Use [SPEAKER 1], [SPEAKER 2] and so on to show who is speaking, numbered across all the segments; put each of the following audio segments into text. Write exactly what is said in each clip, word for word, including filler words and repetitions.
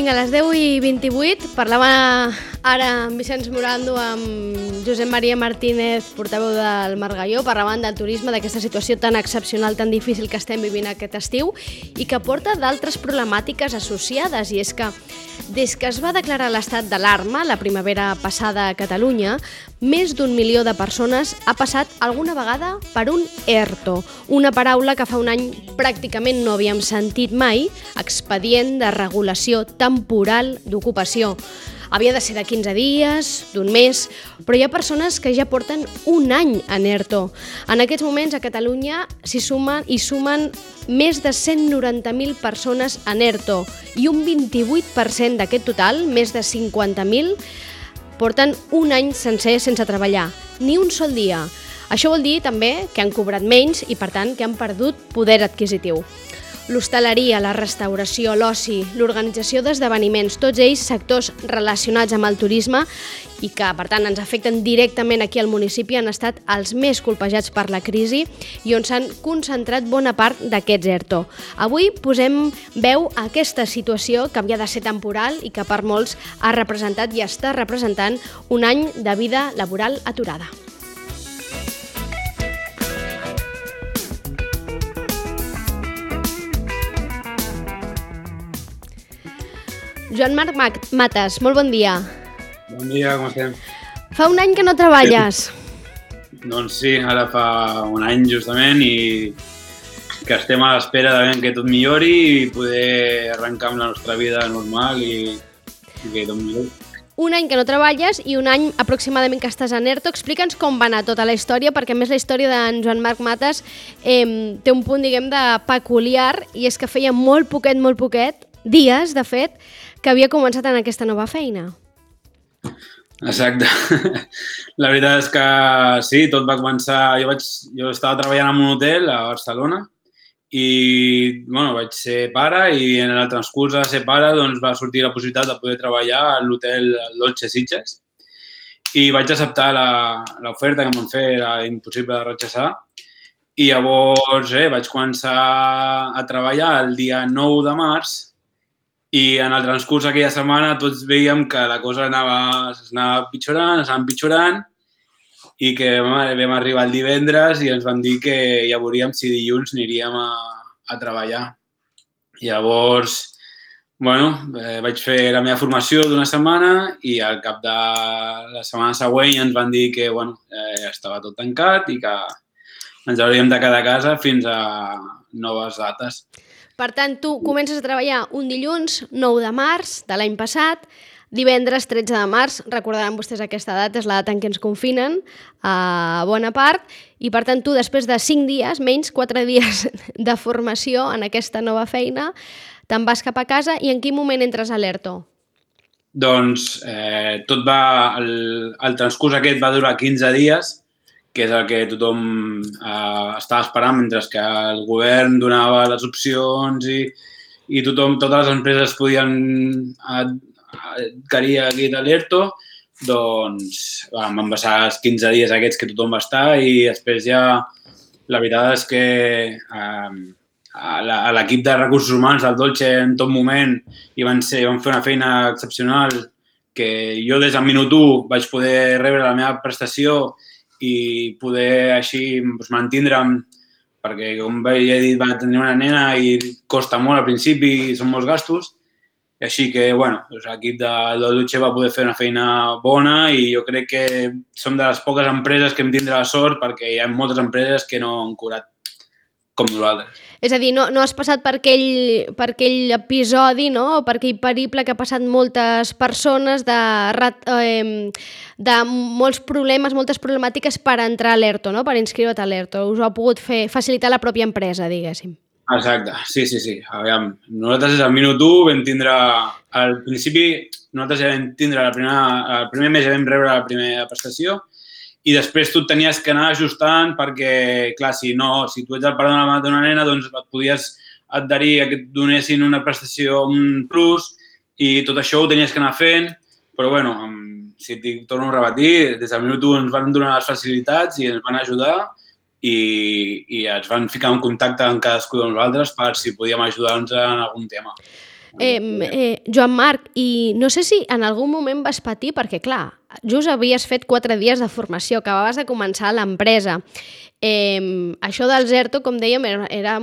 [SPEAKER 1] Vinga, a les deu i vint-i-vuit parlava ara amb Vicenç Morando, amb Josep Maria Martínez, portaveu del Margalló, parlaven del turisme, d'aquesta situació tan excepcional, tan difícil que estem vivint aquest estiu i que porta d'altres problemàtiques associades. I és que des que es va declarar l'estat d'alarma la primavera passada a Catalunya, més d'un milió de persones ha passat alguna vegada per un ERTO, una paraula que fa un any pràcticament no havíem sentit mai, expedient de regulació temporal d'ocupació. Havia de ser de quinze dies, d'un mes, però hi ha persones que ja porten un any en ERTO. En aquests moments a Catalunya s'hi sumen, hi sumen més de cent noranta mil persones en ERTO i un vint-i-vuit per cent d'aquest total, més de cinquanta mil, porten un any sencer sense treballar, ni un sol dia. Això vol dir també que han cobrat menys i, per tant, que han perdut poder adquisitiu. L'hostaleria, la restauració, l'oci, l'organització d'esdeveniments, tots ells sectors relacionats amb el turisme i que, per tant, ens afecten directament aquí al municipi, han estat els més colpejats per la crisi i on s'han concentrat bona part d'aquests ERTO. Avui posem veu a aquesta situació que havia de ser temporal i que per molts ha representat i està representant un any de vida laboral aturada. Joan Marc Matas, molt bon dia.
[SPEAKER 2] Bon dia, com estem?
[SPEAKER 1] Fa un any que no treballes.
[SPEAKER 2] Doncs sí, ara fa un any justament i que estem a l'espera de que tot millori i poder arrencar amb la nostra vida normal i, i que tot millori.
[SPEAKER 1] Un any que no treballes i un any aproximadament que estàs en ERTO. Explica'ns com va anar tota la història, perquè a més la història d'en Joan Marc Matas eh, té un punt, diguem, de peculiar, i és que feia molt poquet, molt poquet, dies, de fet, que havia començat en aquesta nova feina.
[SPEAKER 2] Exacte. La veritat és que sí, tot va començar... Jo, vaig, jo estava treballant en un hotel a Barcelona i bueno, vaig ser pare i en el transcurs de ser pare doncs, va sortir la possibilitat de poder treballar a l'hotel Dolce Sitges i vaig acceptar l'oferta que em van fer, era impossible de rechaçar. I llavors eh, vaig començar a treballar el dia nou de març i en el transcurs d'aquella setmana tots veiem que la cosa anava, anava pitjorant, anava empitjorant i que vam arribar el divendres i ens van dir que ja veuríem si dilluns aniríem a, a treballar. I llavors, bueno, eh, vaig fer la meva formació d'una setmana i al cap de la setmana següent ens van dir que bueno, eh, estava tot tancat i que ens hauríem de quedar a casa fins a noves dates.
[SPEAKER 1] Per tant, tu comences a treballar un dilluns, nou de març de l'any passat, divendres tretze de març, recordaran vostès aquesta data, és la data en què ens confinen a bona part, i per tant tu després de cinc dies, menys quatre dies de formació en aquesta nova feina, te'n vas cap a casa i en quin moment entres a l'ERTO?
[SPEAKER 2] Doncs eh, tot va, el, el transcurs aquest va durar quinze dies, que és el que tothom eh, estava esperant, mentre que el govern donava les opcions i, i tothom, totes les empreses podien adquirir aquí de l'ERTO, doncs vam van passar els quinze dies aquests que tothom va estar i després ja la veritat és que eh, a l'equip de recursos humans del Dolce en tot moment i van, ser, van fer una feina excepcional que jo des del minut u vaig poder rebre la meva prestació i poder així doncs, mantindre'm, perquè com ja he dit va tenir una nena i costa molt al principi i són molts gastos, i així que bueno, doncs, l'equip de, de Dolce va poder fer una feina bona i jo crec que som de les poques empreses que hem tindre la sort perquè hi ha moltes empreses que no han curat com nosaltres.
[SPEAKER 1] És a dir, no, no has passat per aquell, per aquell episodi, no? Per aquell periple que ha passat moltes persones de, eh, de molts problemes, moltes problemàtiques per entrar a l'ERTO, no? Per inscriure't a l'ERTO. Us ho ha pogut fer, facilitar la pròpia empresa, diguéssim.
[SPEAKER 2] Exacte, sí, sí, sí. Aviam, nosaltres des del minut u vam tindre, al principi, nosaltres ja vam tindre, la primera, el primer mes ja vam rebre la primera prestació i després tu et tenies que anar ajustant perquè, clar, si no, si tu ets el pare d'una nena, doncs et podies adherir a que et donessin una prestació, un plus, i tot això ho tenies que anar fent, però, bueno, si et torno a repetir, des del minut u ens van donar les facilitats i ens van ajudar i, i ens van ficar en contacte amb cadascú de nosaltres per si podíem ajudar-nos en algun tema.
[SPEAKER 1] Eh, eh, Joan Marc, i no sé si en algun moment vas patir, perquè clar, just havies fet quatre dies de formació, acabaves de començar a l'empresa. Eh, això del ERTO, com dèiem, era, era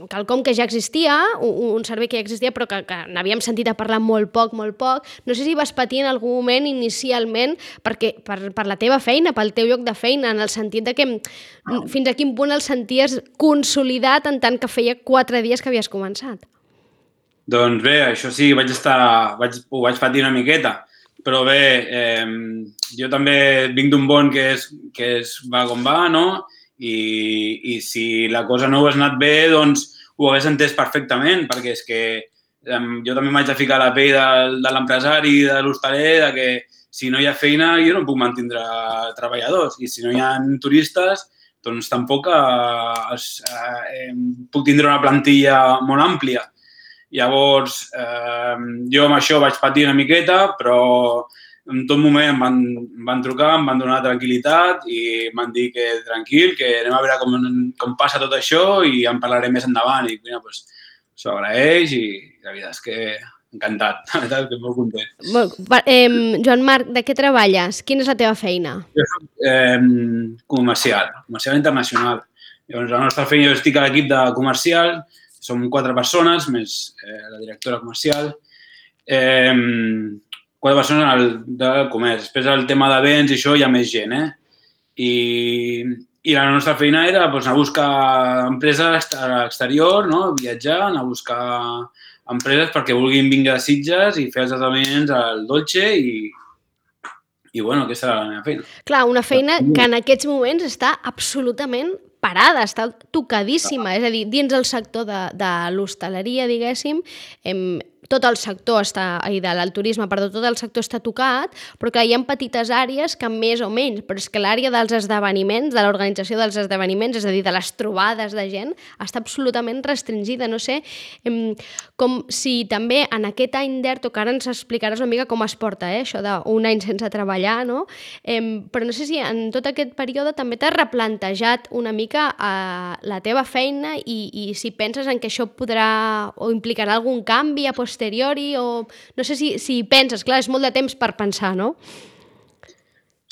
[SPEAKER 1] quelcom que ja existia, un, un servei que ja existia, però que, que n'havíem sentit a parlar molt poc, molt poc. No sé si vas patir en algun moment inicialment perquè, per, per la teva feina, pel teu lloc de feina, en el sentit de que fins a quin punt el senties consolidat en tant que feia quatre dies que havies començat.
[SPEAKER 2] Doncs bé, això sí, vaig estar, vaig, ho vaig patir una miqueta, però bé, eh, jo també vinc d'un bon que és, que és va com va, no? I, i si la cosa no hagués anat bé, doncs ho hagués entès perfectament, perquè és que um, jo també m'haig de ficar a la pell de, de l'empresari, de l'hostaler, de que si no hi ha feina jo no puc mantindre treballadors i si no hi ha turistes, doncs tampoc eh, eh, puc tindre una plantilla molt àmplia. Llavors, eh, jo amb això vaig patir una miqueta, però en tot moment em van, em van trucar, em van donar tranquil·litat i em van dir que tranquil, que anem a veure com, com passa tot això i en parlarem més endavant. I mira, doncs, s'ho agraeix i la veritat és que encantat, la veritat és que molt content.
[SPEAKER 1] Bon, eh, Joan Marc, de què treballes? Quina és la teva feina?
[SPEAKER 2] Jo soc eh, comercial, comercial internacional. Llavors, la nostra feina, jo estic a l'equip de comercial, som quatre persones, més eh, la directora comercial. Eh, quatre persones del, del comerç. Després el tema d'events i això hi ha més gent, eh? I, i la nostra feina era doncs, anar a buscar empreses a l'exterior, no? Viatjar, anar a buscar empreses perquè vulguin vindre a Sitges i fer els esdeveniments al Dolce i, i bueno, aquesta era la meva feina.
[SPEAKER 1] Clar, una feina que en aquests moments està absolutament parada, està tocadíssima. És a dir, dins el sector de, de l'hostaleria, diguéssim, hem, tot el sector està, i del turisme, perdó, tot el sector està tocat, però clar, hi ha petites àrees que més o menys, però és que l'àrea dels esdeveniments, de l'organització dels esdeveniments, és a dir, de les trobades de gent, està absolutament restringida. No sé, em, com si també en aquest any d'ERTO, que ara ens explicaràs una mica com es porta, eh, això d'un any sense treballar, no? Em, però no sé si en tot aquest període també t'has replantejat una mica eh, la teva feina i, i si penses en que això podrà o implicarà algun canvi a posteriori o no sé si, si penses, clar, és molt de temps per pensar, no?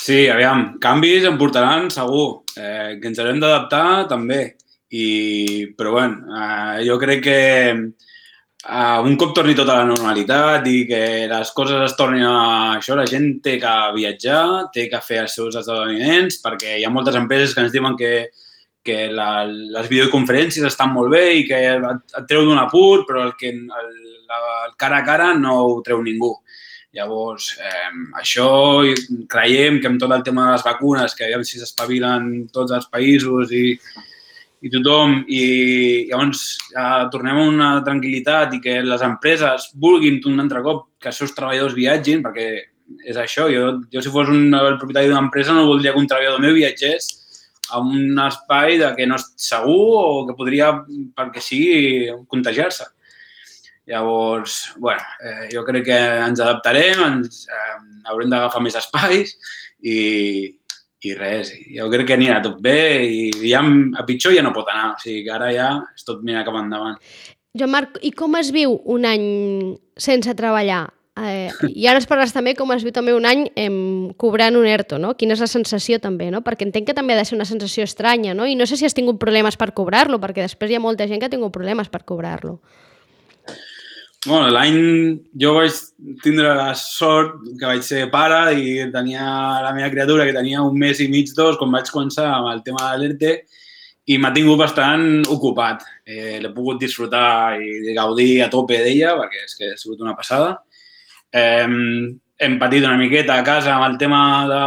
[SPEAKER 2] Sí, aviam, canvis en portaran segur, eh, que ens haurem d'adaptar també, I, però bueno, eh, jo crec que eh, un cop torni tota la normalitat i que les coses es tornin a això, la gent té que viatjar, té que fer els seus esdeveniments, perquè hi ha moltes empreses que ens diuen que que la, les videoconferències estan molt bé i que et, et treu d'un apur, però el, que, el, el cara a cara no ho treu ningú. Llavors, eh, això creiem que amb tot el tema de les vacunes, que aviam si s'espavilen tots els països i, i tothom, i llavors eh, tornem a una tranquil·litat i que les empreses vulguin un altre cop que els seus treballadors viatgin, perquè és això, jo, jo si fos un, el propietari d'una empresa no voldria que un treballador meu viatgés a un espai de que no és segur o que podria, perquè sigui, contagiar-se. Llavors, bueno, eh, jo crec que ens adaptarem, ens eh, haurem d'agafar més espais i, i res. Jo crec que anirà tot bé i ja a pitjor ja no pot anar. O sigui que ara ja és tot mirar cap endavant.
[SPEAKER 1] Joan Marc, i com es viu un any sense treballar? Eh, I ara es parles també com es viu també un any eh, cobrant un ERTO, no? Quina és la sensació també, no? Perquè entenc que també ha de ser una sensació estranya, no? I no sé si has tingut problemes per cobrar-lo, perquè després hi ha molta gent que ha tingut problemes per cobrar-lo.
[SPEAKER 2] Bueno, l'any jo vaig tindre la sort que vaig ser pare i tenia la meva criatura que tenia un mes i mig, dos, quan vaig començar amb el tema de l'ERTE i m'ha tingut bastant ocupat. Eh, l'he pogut disfrutar i gaudir a tope d'ella perquè és que ha sigut una passada. Eh, hem patit una miqueta a casa amb el tema de,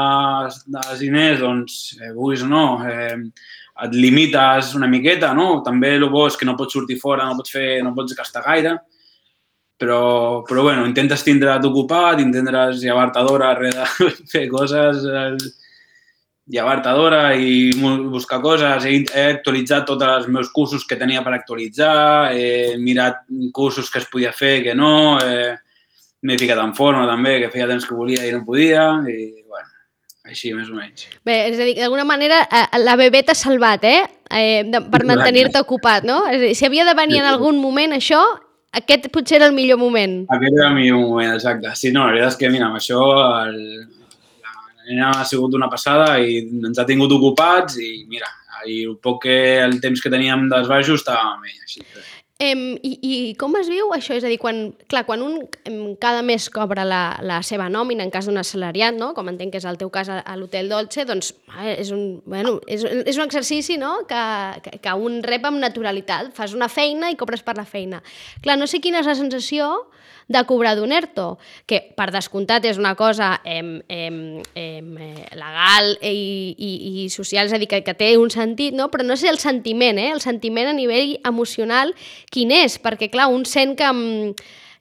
[SPEAKER 2] dels diners, doncs, eh, vulguis o no, eh, et limites una miqueta, no? També el bo és que no pots sortir fora, no pots fer, no pots gastar gaire, però, però bueno, intentes tindre't ocupat, intentes llevar-te d'hora de fer coses, llevar-te d'hora i buscar coses. He, he actualitzat tots els meus cursos que tenia per actualitzar, he mirat cursos que es podia fer, que no, eh, m'he ficat en forma també, que feia temps que volia i no podia, i bueno, així més o menys.
[SPEAKER 1] Bé, és a dir, d'alguna manera la bebè t'ha salvat, eh? eh per mantenir-te ocupat, no? És a dir, si havia de venir en algun moment això, aquest potser era el millor moment.
[SPEAKER 2] Aquest era el millor moment, exacte. Sí, no, la veritat és que, mira, amb això el, la nena ha sigut una passada i ens ha tingut ocupats i, mira, i el poc que, el temps que teníem d'esbaixo estava amb ell, així que...
[SPEAKER 1] Eh, i, I com es viu això? És a dir, quan, clar, quan un cada mes cobra la, la seva nòmina en cas d'un assalariat, no? Com entenc que és el teu cas a, a l'Hotel Dolce, doncs és un, bueno, és, és un exercici, no? que, que, que un rep amb naturalitat. Fas una feina i cobres per la feina. Clar, no sé quina és la sensació de cobrar d'un ERTO, que per descomptat és una cosa em, em, em, legal i, i, i social, és a dir, que, que té un sentit, no? Però no sé el sentiment, eh? El sentiment a nivell emocional quin és, perquè clar, un sent que,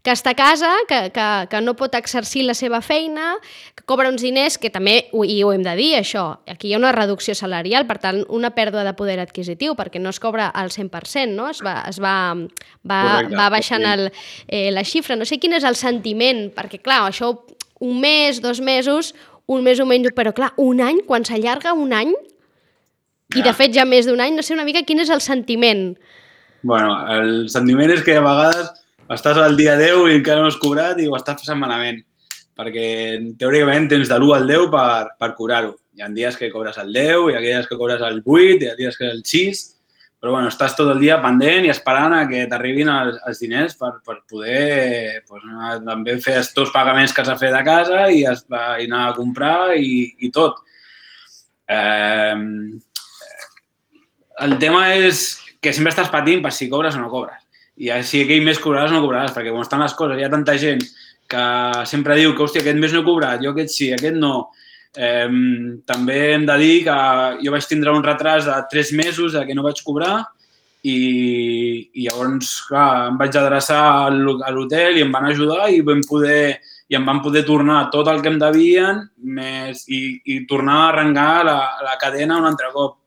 [SPEAKER 1] que està a casa, que, que, que no pot exercir la seva feina, que cobra uns diners, que també, i ho hem de dir, això, aquí hi ha una reducció salarial, per tant, una pèrdua de poder adquisitiu, perquè no es cobra al cent per cent, no? Es va, es va, va, Correcte, va baixant el, eh, la xifra. No sé quin és el sentiment, perquè clar, això un mes, dos mesos, un mes o menys, però clar, un any, quan s'allarga un any, ja. I de fet ja més d'un any, no sé una mica quin és el sentiment.
[SPEAKER 2] Bueno, el sentiment és que a vegades estàs al dia deu i encara no has cobrat i ho estàs passant malament, perquè teòricament tens de l'u al deu per, per cobrar-ho. Hi ha dies que cobres el deu, hi ha dies que cobres el vuit, hi ha dies que el sis, però bueno, estàs tot el dia pendent i esperant a que t'arribin els, els diners per, per poder pues, també fer els teus pagaments que has de fer de casa i, es, i anar a comprar i, i tot. Eh, el tema és que sempre estàs patint per si cobres o no cobres. I si aquell mes cobraràs o no cobraràs, perquè quan estan les coses hi ha tanta gent que sempre diu que, hòstia, aquest mes no he cobrat, jo aquest sí, aquest no. Eh, també hem de dir que jo vaig tindre un retras de tres mesos de que no vaig cobrar i, i llavors, clar, em vaig adreçar a l'hotel i em van ajudar i vam poder, i em van poder tornar tot el que em devien més, i, i tornar a arrencar la, la cadena un altre cop.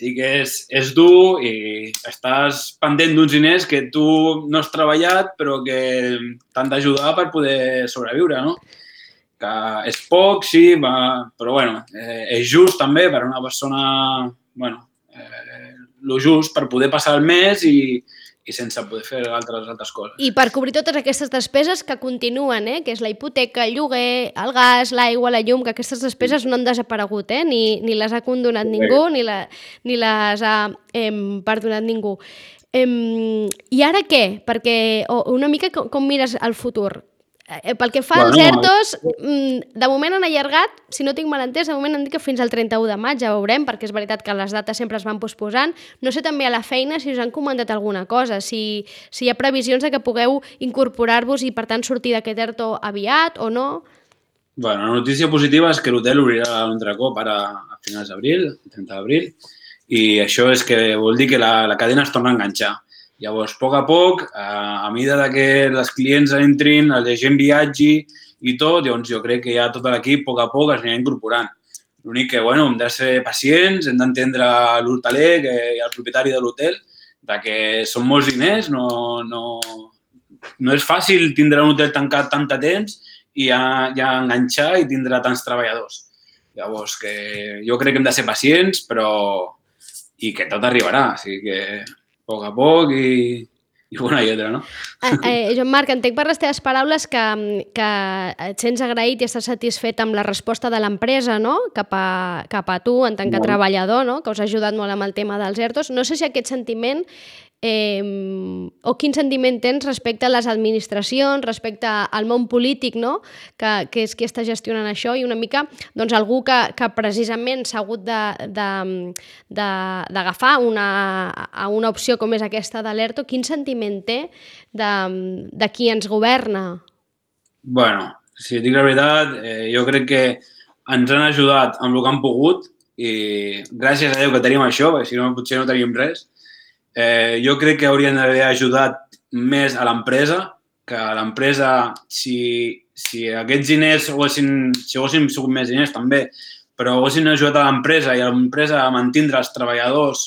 [SPEAKER 2] Així que és, és dur i estàs pendent d'uns diners que tu no has treballat però que t'han d'ajudar per poder sobreviure, no? Que és poc, sí, va, però bueno, eh, és just també per a una persona, bueno, eh, lo just per poder passar el mes i, i sense poder fer altres, altres coses.
[SPEAKER 1] I per cobrir totes aquestes despeses que continuen, eh? Que és la hipoteca, el lloguer, el gas, l'aigua, la llum, que aquestes despeses no han desaparegut, eh? Ni, ni les ha condonat ningú, ni, la, ni les ha eh, perdonat ningú. Eh, I ara què? Perquè una mica com, com mires el futur? Eh, pel que fa als bueno, ERTOs, de moment han allargat, si no tinc mal entès, de moment han dit que fins al trenta-u de maig, ja veurem, perquè és veritat que les dates sempre es van posposant. No sé també a la feina si us han comentat alguna cosa, si, si hi ha previsions de que pugueu incorporar-vos i per tant sortir d'aquest ERTO aviat o no.
[SPEAKER 2] Bueno, la notícia positiva és que l'hotel obrirà un altre cop ara a finals d'abril, el trenta d'abril, i això és que vol dir que la, la cadena es torna a enganxar. Llavors, a poc a poc, a mesura que els clients entrin, la gent viatgi i tot, llavors jo crec que ja tot l'equip, a poc a poc, es anirà incorporant. L'únic que, bueno, hem de ser pacients, hem d'entendre l'hoteler i el propietari de l'hotel, que són molts diners, no, no, no és fàcil tindre un hotel tancat tant de temps i ja, ja enganxar i tindre tants treballadors. Llavors, que jo crec que hem de ser pacients, però i que tot arribarà, o sigui que a poc a poc i, i una i altra, no?
[SPEAKER 1] Eh, eh, Joan Marc, entenc per les teves paraules que, que et sents agraït i estàs satisfet amb la resposta de l'empresa, no? Cap a, cap a tu, en tant que molt. treballador, no? Que us ha ajudat molt amb el tema dels ERTOs. No sé si aquest sentiment eh, o quin sentiment tens respecte a les administracions, respecte al món polític, no? Que, que és qui està gestionant això i una mica doncs, algú que, que precisament s'ha hagut d'agafar una, a una opció com és aquesta de l'ERTO. Quin sentiment té de, de qui ens governa?
[SPEAKER 2] Bueno, si dic la veritat, eh, jo crec que ens han ajudat amb el que han pogut i gràcies a Déu que tenim això, perquè si no potser no teníem res. Eh, jo crec que haurien d'haver ajudat més a l'empresa, que l'empresa, si, si aquests diners haguessin, si haguessin sigut més diners també, però haguessin ajudat a l'empresa i a l'empresa a mantindre els treballadors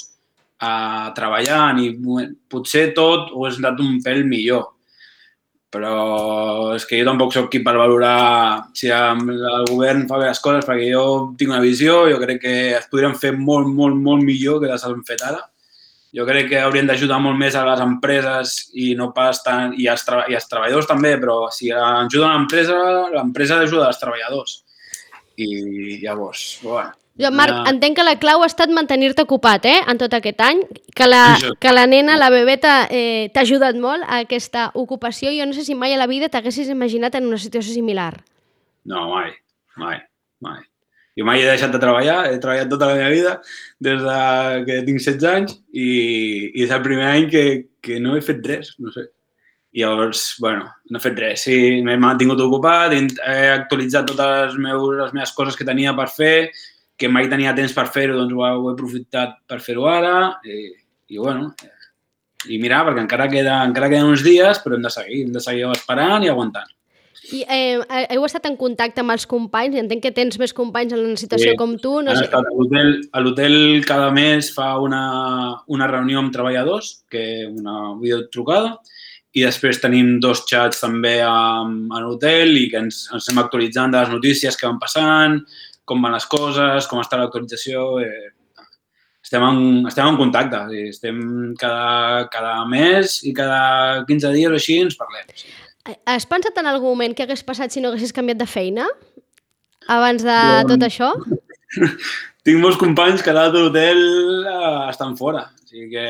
[SPEAKER 2] a treballant i potser tot hagués anat un pèl millor. Però és que jo tampoc soc qui per valorar si el govern fa bé les coses, perquè jo tinc una visió, jo crec que es podrien fer molt, molt, molt millor que les han fet ara. Jo crec que haurien d'ajudar molt més a les empreses i no pas tant, i als, tra i als treballadors també, però si ajuden l'empresa, l'empresa ajuda als treballadors. I llavors, bueno...
[SPEAKER 1] Joan Marc, ja... entenc que la clau ha estat mantenir-te ocupat, eh?, en tot aquest any, que la, que la nena, la bebeta, eh, t'ha ajudat molt a aquesta ocupació. Jo no sé si mai a la vida t'haguessis imaginat en una situació similar.
[SPEAKER 2] No, mai, mai, mai. Jo mai he deixat de treballar, he treballat tota la meva vida, des de que tinc setze anys, i, i és el primer any que, que no he fet res, no sé. I llavors, bueno, no he fet res, sí, m'he mantingut ocupat, he actualitzat totes les, meus, les meves coses que tenia per fer, que mai tenia temps per fer-ho, doncs ho he aprofitat per fer-ho ara, i, i bueno, i mirar, perquè encara, queda, encara queden uns dies, però hem de seguir, hem de seguir esperant i aguantant.
[SPEAKER 1] I eh, heu estat en contacte amb els companys? Entenc que tens més companys en una situació sí, com tu. No sé.
[SPEAKER 2] A l'hotel cada mes fa una, una reunió amb treballadors, que una videotrucada, i després tenim dos xats també a, a l'hotel i que ens, ens estem actualitzant de les notícies que van passant, com van les coses, com està l'actualització. Eh, estem, en, estem en contacte, estem cada, cada mes i cada quinze dies o així ens parlem. Sí.
[SPEAKER 1] Has pensat en algun moment què hagués passat si no haguessis canviat de feina abans de jo, tot això?
[SPEAKER 2] Tinc molts companys que a l'altre hotel uh, estan fora. O sigui que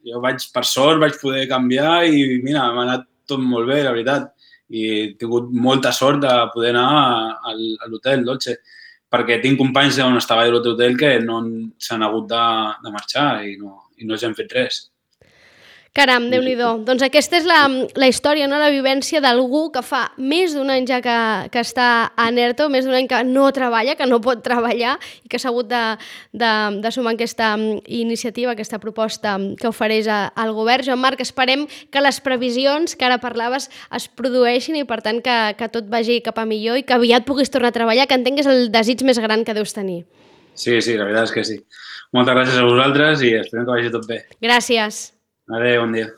[SPEAKER 2] jo vaig, per sort, vaig poder canviar i mira, m'ha anat tot molt bé, la veritat. I he tingut molta sort de poder anar a, a l'hotel Dolce, perquè tinc companys on estava a l'altre hotel que no s'han hagut de, de marxar i no, i no els hem fet res.
[SPEAKER 1] Caram, Déu-n'hi-do. Doncs aquesta és la, la història, no? La vivència d'algú que fa més d'un any ja que, que està en ERTO, més d'un any que no treballa, que no pot treballar i que s'ha hagut de, de, de sumar aquesta iniciativa, aquesta proposta que ofereix al govern. Joan Marc, esperem que les previsions que ara parlaves es produeixin i, per tant, que, que tot vagi cap a millor i que aviat puguis tornar a treballar, que entenc que és el desig més gran que deus tenir.
[SPEAKER 2] Sí, sí, la veritat és que sí. Moltes gràcies a vosaltres i esperem que vagi tot bé.
[SPEAKER 1] Gràcies.
[SPEAKER 2] Adéu, bon dia.